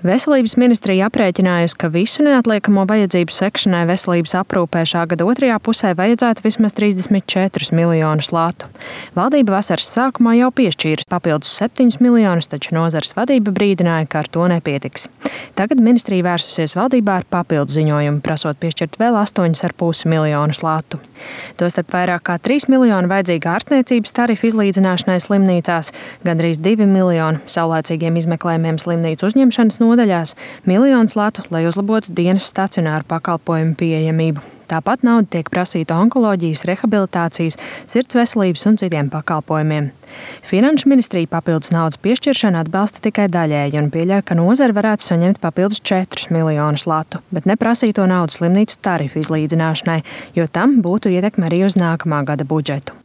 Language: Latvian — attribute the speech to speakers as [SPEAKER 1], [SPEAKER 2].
[SPEAKER 1] Veselības ministrija aprēķinājusi, ka visu neatliekamo vajadzību sekšanai veselības aprūpē šā gada otrajā pusē vajadzētu vismaz 34 miljonus latu. Valdība vasaras sākumā jau piešķīra papildus 7 miljonus, taču nozares vadība brīdināja, ka ar to nepietiks. Tagad ministrija vērsusies valdībā ar papildu ziņojumu, prasot piešķirt vēl 8,5 miljonus latu. Tostarp vairāk kā 3 miljoni vajadzīga ārstniecības tarifu izlīdzināšanai slimnīcās, gandrīz 2 miljoni saulēcīgiem izmeklējumiem slimnīcu uzņemšanas nodaļās, 1 miljons latu, lai uzlabotu dienas stacionāru pakalpojumu pieejamību. Tāpat nauda tiek prasīta onkoloģijas, rehabilitācijas, sirds veselības un citiem pakalpojumiem. Finanšu ministrija papildus naudas piešķiršanu atbalsta tikai daļēji un pieļauj, ka nozare varētu saņemt papildus 4 miljonus latu, bet neprasīto naudu slimnīcu tarifu izlīdzināšanai, jo tam būtu ietekme arī uz nākamā gada budžetu.